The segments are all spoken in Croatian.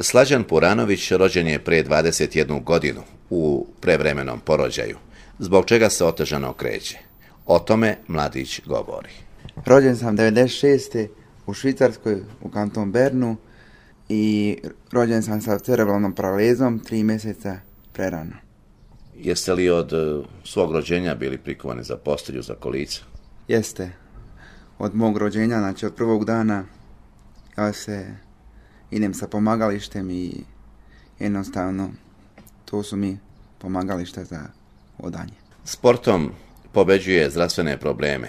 Slađan Puranović rođen je prije 21 godinu u prevremenom porođaju, zbog čega se otežano kreće. O tome mladić govori. Rođen sam 96. u Švicarskoj, u kanton Bernu, i rođen sam sa cerebralnom paralizom 3 mjeseca prerano. Jeste li od svog rođenja bili prikovani za postelju, za kolica? Jeste. Od mog rođenja, znači od prvog dana, ja idem sa pomagalištem i jednostavno to su mi pomagališta za hodanje. Sportom pobeđuje zdravstvene probleme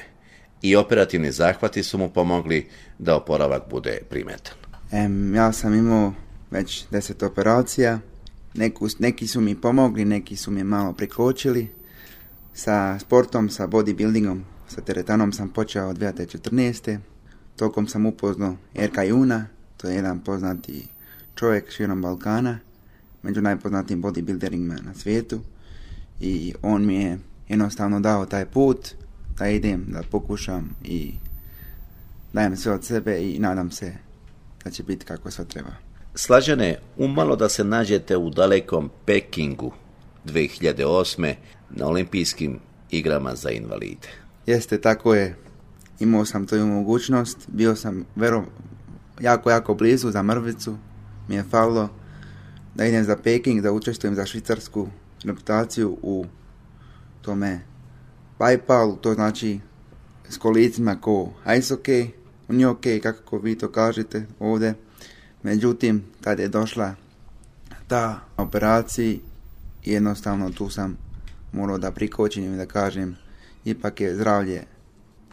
i operativni zahvati su mu pomogli da oporavak bude primetan. Ja sam imao već 10 operacija, neki su mi pomogli, neki su mi malo prikočili. Sa sportom, sa bodybuildingom, sa teretanom sam počeo od 2014. Tokom sam upoznao Erka Juna, to je jedan poznati čovjek širom Balkana, među najpoznatijim bodybuilderima na svijetu, i on mi je jednostavno dao taj put da idem, da pokušam i dajem sve od sebe i nadam se da će biti kako sve treba. Slađane, umalo da se nađete u dalekom Pekingu 2008. na olimpijskim igrama za invalide. Jeste, tako je. Imao sam tu mogućnost, bio sam jako blizu za mrvicu. Mi je falilo da idem za Peking, da učestvujem za švicarsku reputaciju u tome Bajpalu, to znači s kolicima ko ice hockey, nije ok, kako vi to kažete ovdje. Međutim, kad je došla ta operacija, jednostavno tu sam morao da prikočim i da kažem, ipak je zdravlje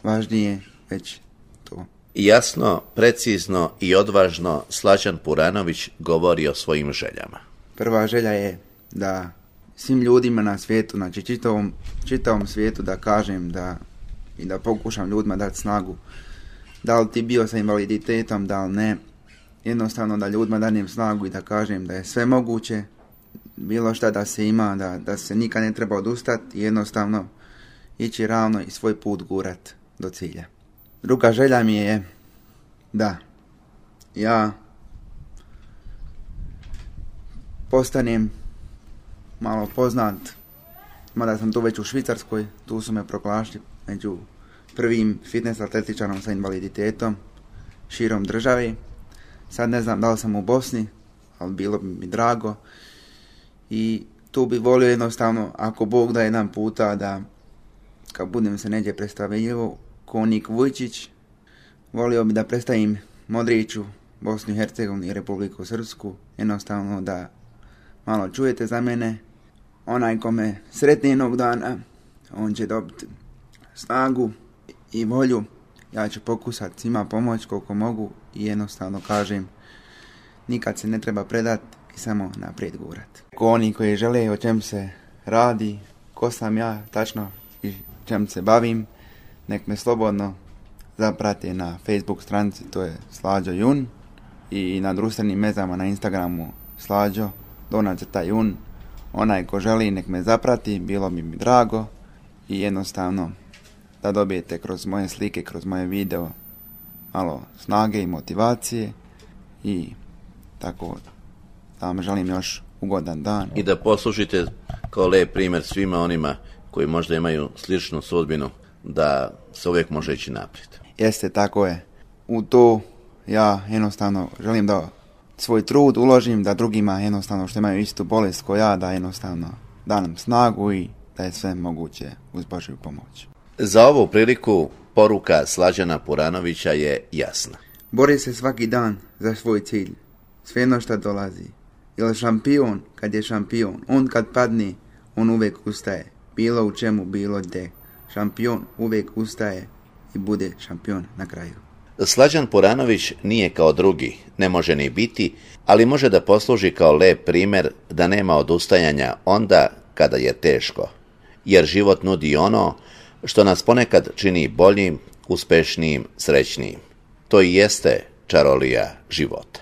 važnije, već to. Jasno, precizno i odvažno Slađan Puranović govori o svojim željama. Prva želja je da svim ljudima na svijetu, znači čitavom svijetu, da kažem i da pokušam ljudima dati snagu. Da li ti bio sa invaliditetom, da li ne, jednostavno da ljudima danem snagu i da kažem da je sve moguće, bilo šta da se ima, da se nikad ne treba odustati i jednostavno ići ravno i svoj put gurat do cilja. Druga želja mi je da ja postanem malo poznat, mada sam tu već u Švicarskoj, tu su me proglasili među prvim fitness atletičarom sa invaliditetom širom države. Sad ne znam da li sam u Bosni, ali bilo bi mi drago. I tu bi volio jednostavno, ako Bog da jedan puta, da kad budem se neđe predstavljivo ko Nik Vujčić, volio bi da predstavim Modriću, Bosnu i Hercegovinu i Republiku Srpsku, jednostavno da malo čujete za mene. Onaj ko me sretne jednog dana, on će dobiti snagu i volju. Ja ću pokusati svima pomoći koliko mogu i jednostavno kažem, nikad se ne treba predati i samo naprijed gurat. Ko oni koji žele o čem se radi, ko sam ja tačno i čem se bavim, nek me slobodno zaprate na Facebook stranici, to je Slađo Jun, i na društvenim mezama na Instagramu Slađo _Jun. Onaj ko želi nek me zaprati, bilo bi mi drago i jednostavno da dobijete kroz moje slike, kroz moje video malo snage i motivacije i tako da vam želim još ugodan dan. I da poslužite kao lep primjer svima onima koji možda imaju sličnu sudbinu, da se uvijek može ići naprijed. Jeste, tako je. U to ja jednostavno želim da svoj trud uložim, da drugima jednostavno što imaju istu bolest kao ja, da jednostavno danem snagu i da je sve moguće uz Božju pomoć. Za ovu priliku poruka Slađana Puranovića je jasna. Bori se svaki dan za svoj cilj, svejedno šta dolazi. Jer šampion, kad je šampion, on kad padne, on uvijek ustaje. Bilo u čemu, bilo gdje. Šampion uvijek ustaje i bude šampion na kraju. Slađan Puranović nije kao drugi, ne može ni biti, ali može da posluži kao lep primjer da nema odustajanja onda kada je teško. Jer život nudi ono što nas ponekad čini boljim, uspešnijim, srećnijim. To i jeste čarolija života.